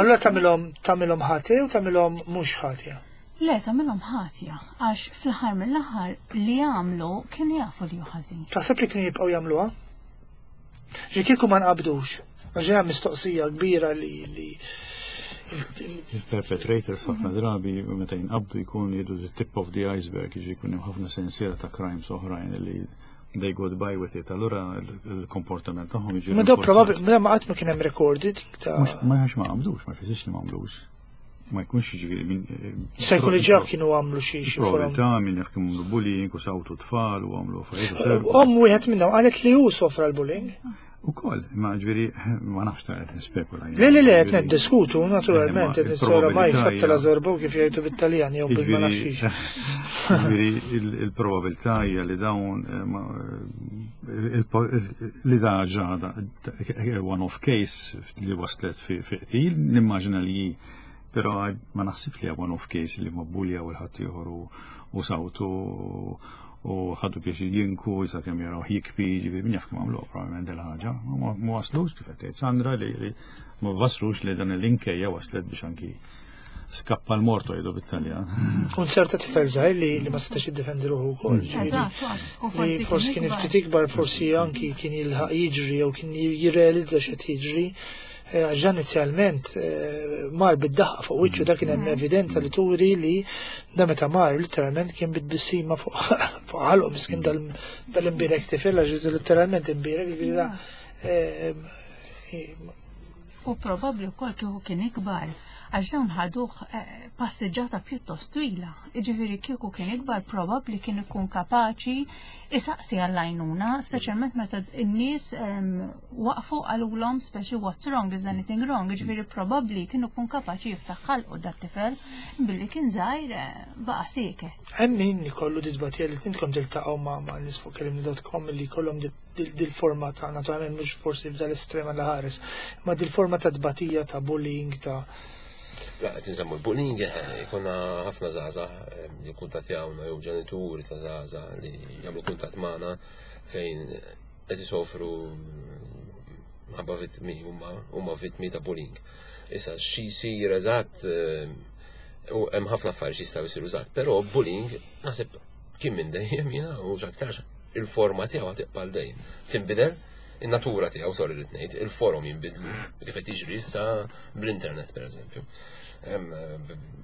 Allora tagħmilhom tagħmilhom ħati u tagħmilhom mhux ħatja? Le, tagħmilhom ħatja, għax fl-aħħar mill-aħħar li għamlu kienu jafu li ħażin. Taħseb li kienu jibqgħu jagħmluha? Ġi kieku ma nqabdux. Għax mistoqsija kbira li li Il-perpetrators ħafna drabi meta jinqabdu jkun jidu the tip of the iceberg, jiġi jkun hemm ħafna sensiela ta' crimes oħrajn li they got by with it. Allura il-komportament tagħhom jiġi. Ma daw probabbli ma qatt ma kien hemm recorded ta' Ma għax ma għamlux, ma jfissirx li ma għamlux. Ma jkunx jiġifieri min. Se jkun li ġew kienu għamlu xi xi forom. Probabilità min jaf kienu għamlu bullying u sawtu tfal u għamlu affarijiet. Om wieħed minnhom qalet li hu sofra l-bullying. U koll, ma ġifieri, ma nafx ta' qed nispekula. Le, le, le, qed niddiskutu, naturalment, qed nissora mai fatta la zorbo kif jgħidu bit-Taljan jew bil ma nafxix. Ġifieri il-probabilità hija li dawn li da ġada one-off case li waslet fi qtil, nimmaġina li, però ma naħsibx li one-off case li ma bulja u l-ħadd ieħor u sawtu u ħadu biex jinku, jisa kemm jaraw jikbi, ġifieri min jaf kemm għamlu probabbilment dil-ħaġa. Ma waslux kif qed Sandra li ma waslux li dan l-inkejja waslet biex anki skappa l-morto jgħidu bit-Taljan. Un ċerta tifel żgħir li li ma setax jiddefendi ruħu wkoll. Eżatt, forsi kien ftit ikbar, forsi anki kien jilħaq jiġri jew kien jirrealizza x'qed jiġri. Għax inizjalment mar bid-daħqa fuq wiċċu, dak kien hemm evidenza li turi li da meta mar literalment kien bit-tbissima fuq ħalqu, miskin dal-imbirek tifel, għax literalment imbirek, ġifieri da. U probabbli wkoll kieku kien ikbar, għax dawn ħaduh passiġġata pjuttost twila. Jiġifieri kieku kien ikbar probabbli kien ikun kapaċi isaqsi għall-għajnuna, speċjalment meta n-nies waqfu qalulhom speċi "What's wrong, is anything wrong?" Jiġifieri probabbli kien ikun kapaċi jiftaħ ħalqu dat-tifel, billi kien żgħir baqa' sieket. Hemm min ikollu ditbatija li intkom tiltaqgħu ma' ma' nies fuq kellimni punt com li jkollhom dil-forma ta', naturalment mhux forsi f'dal-estrema la ħares, ma dil-forma ta' tbatija ta' bullying ta' La, qed insemmu l-bullying, jkollna ħafna żgħażagħ li kuntattjawna jew ġenituri ta' żgħażagħ li jagħmlu kuntatt magħna fejn qed isofru ħabba vittmi, huma huma vittmi ta' bullying. Issa xi jsir eżatt, u hemm ħafna affarijiet jistgħu jsiru eżatt, però bullying naħseb kien minn dejjem jiena u x'aktarx il-forma tiegħu tibqa' dejjem. Tinbidel, In-natura tiegħu, sorry li ngħid, il-forom jinbidlu kif qed jiġri issa bl-internet, pereżempju.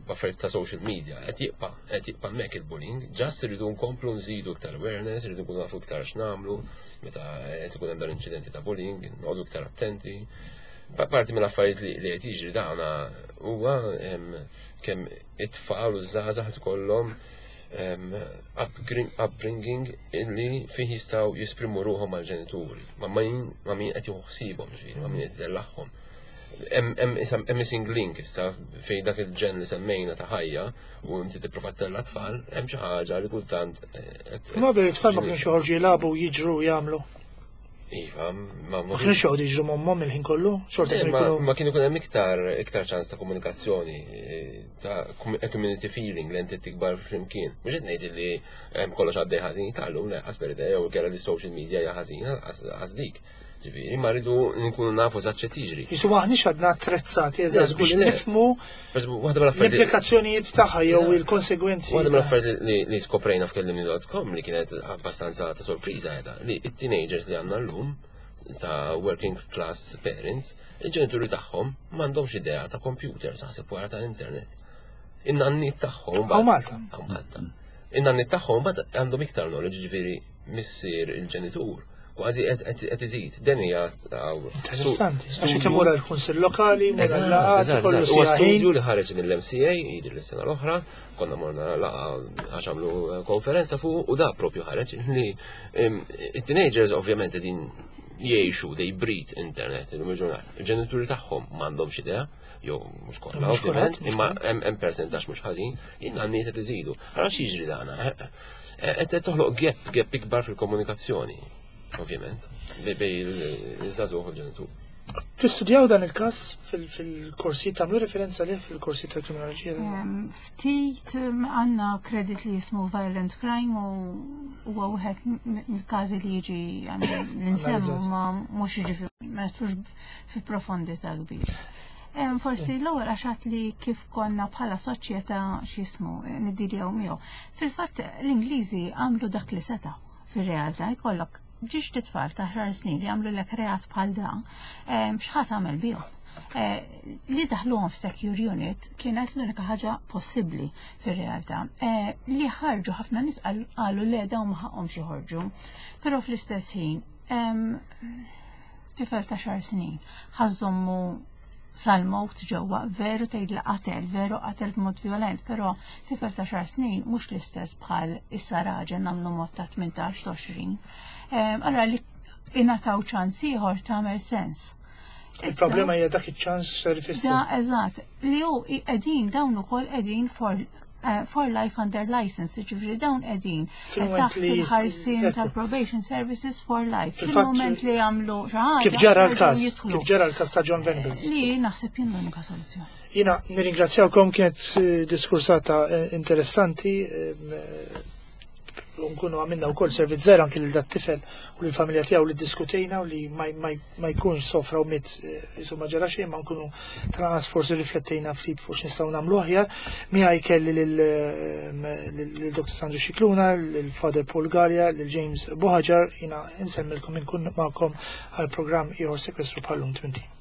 B'affarijiet ta' social media, qed jibqa' qed jibqa' hemmhekk il-bullying, just irridu nkomplu nżidu iktar awareness, irridu nkunu nafu iktar x'nagħmlu meta qed ikun hemm dan inċidenti ta' bullying, noqogħdu iktar attenti. Parti mill-affarijiet li qed jiġri dawna huwa kemm it-tfal u żgħażagħ ikollhom upbringing illi fih jistgħu jesprimu ruħhom mal-ġenituri, ma' min ma' min qed jieħu ħsiebhom, ġifieri, ma' min qed itellagħhom. Hemm missing link issa fejn dak il-ġen li semmejna ta' ħajja u inti tipprova ttella' tfal, hemm xi ħaġa li kultant. Ma veru tfal ma kienx joħorġu jilagħbu, jiġru, jagħmlu. Iva, ma ma kienx joqgħodu jiġru m'ommhom il-ħin kollu, xorta kienu jkunu. Ma kienu jkun hemm iktar iktar ċans ta' komunikazzjoni, ta' community feeling li inti tikbar flimkien. Mhux qed ngħid li hemm kollox għaddej ħażin tal-lum, le, qas per jew kera li social media hija ħażina, qas dik. Ġifieri, ma rridu nkunu nafu eżatt x'qed jiġri. Jisu aħniex għadna attrezzati eżatt biex nifhmu l-implikazzjonijiet tagħha jew il-konsegwenzi. Waħda mill-affarijiet li skoprejna f'Kellimni dot com li kienet abbastanza ta' sorpriża qiegħda li it-teenagers li għandna llum ta' working class parents, il-ġenituri tagħhom m'għandhomx idea ta' computer, taħseb wara ta' internet. In-nanniet tagħhom. Hawn Malta. Hawn Malta. In-nanniet tagħhom bad għandhom iktar knowledge, ġifieri missier il-ġenitur kważi qed iżid. Den hija Interessanti. Għax qed imur għall-kunsill lokali, mur għal-laqgħat, kollu Huwa studju li ħareġ mill-M C A jidher l-sena l-oħra, konna morna laqgħa għax għamlu konferenza fuq u da propju ħareġ li it-teenagers ovvjament din jgħixu, they breathe internet illum il-ġurnata. Il-ġenituri tagħhom m'għandhomx idea, jew mhux kollha ovvjament, imma hemm percentaġġ mhux ħażin, in-nanniet qed iżidu. Ara x'jiġri dana. Qed toħloq gap, gap ikbar fil-komunikazzjoni, ovvjament, bejn iż-żagħżugħ u l-ġenitur. Tistudjaw dan il-każ fil-korsi, tagħmlu referenza lih fil-korsi tal-kriminoloġija? Ftit għandna credit li jismu Violent Crime u huwa wieħed mill-każi li jiġi l-insemmu, ma mhux jiġi, ma nidħlux fi profondità kbir. Forsi l-ewwel għaxat li kif konna bħala soċjetà x'jismu niddiljaw miegħu. Fil-fatt l-Ingliżi għamlu dak li setaw fir-realtà. Jkollok żewġt itfal ta' għaxar snin li għamlu l reat bħal dan, x'ħa tagħmel bihom? Li daħluhom f'secure unit kienet l-unika ħaġa possibbli fir-realtà. Li ħarġu, ħafna nies qalu le, dawn ma ħaqhomx joħorġu. Però fl-istess ħin tifel ta' għaxar snin ħa żżommu sal-mewt ġewwa, veru tgħid li qatel, veru qatel b'mod violent, però tifel ta' għaxar snin mhux l-istess bħal issa raġel nagħmlu mod ta' tmintax għoxrin. Allora li ingħataw ċans ieħor tagħmel sens. Il-problema hija dak iċ-ċans ser ifisser. Da, eżatt, li hu qegħdin dawn ukoll qegħdin for uh, for life under license, ġifieri dawn qegħdin taħt il-ħarsien tal-probation services for life. Fil-moment li jagħmlu xi ħaġa. Kif ġara l-każ, kif ġara l-każ ta' Jon Venables. Li naħseb jien l-unika soluzzjoni. Jiena nirringrazzjawkom, kienet diskursata interessanti, nkunu għamilna wkoll servizz żgħir anki lil dat-tifel u lill-familja tiegħu li diskutejna u li ma jkunx sofra u miet, insomma ġara xejn, ma nkunu tal-anqas forsi riflettejna ftit fuq x'nistgħu nagħmlu aħjar. Miegħi kelli lil Doctor Sandro Scicluna, lil Father Paul Galea, lil James Buhagiar. Jiena nsellmilkom, inkun magħkom għal programm ieħor Sekwestru bħal-lum tmint ijiem.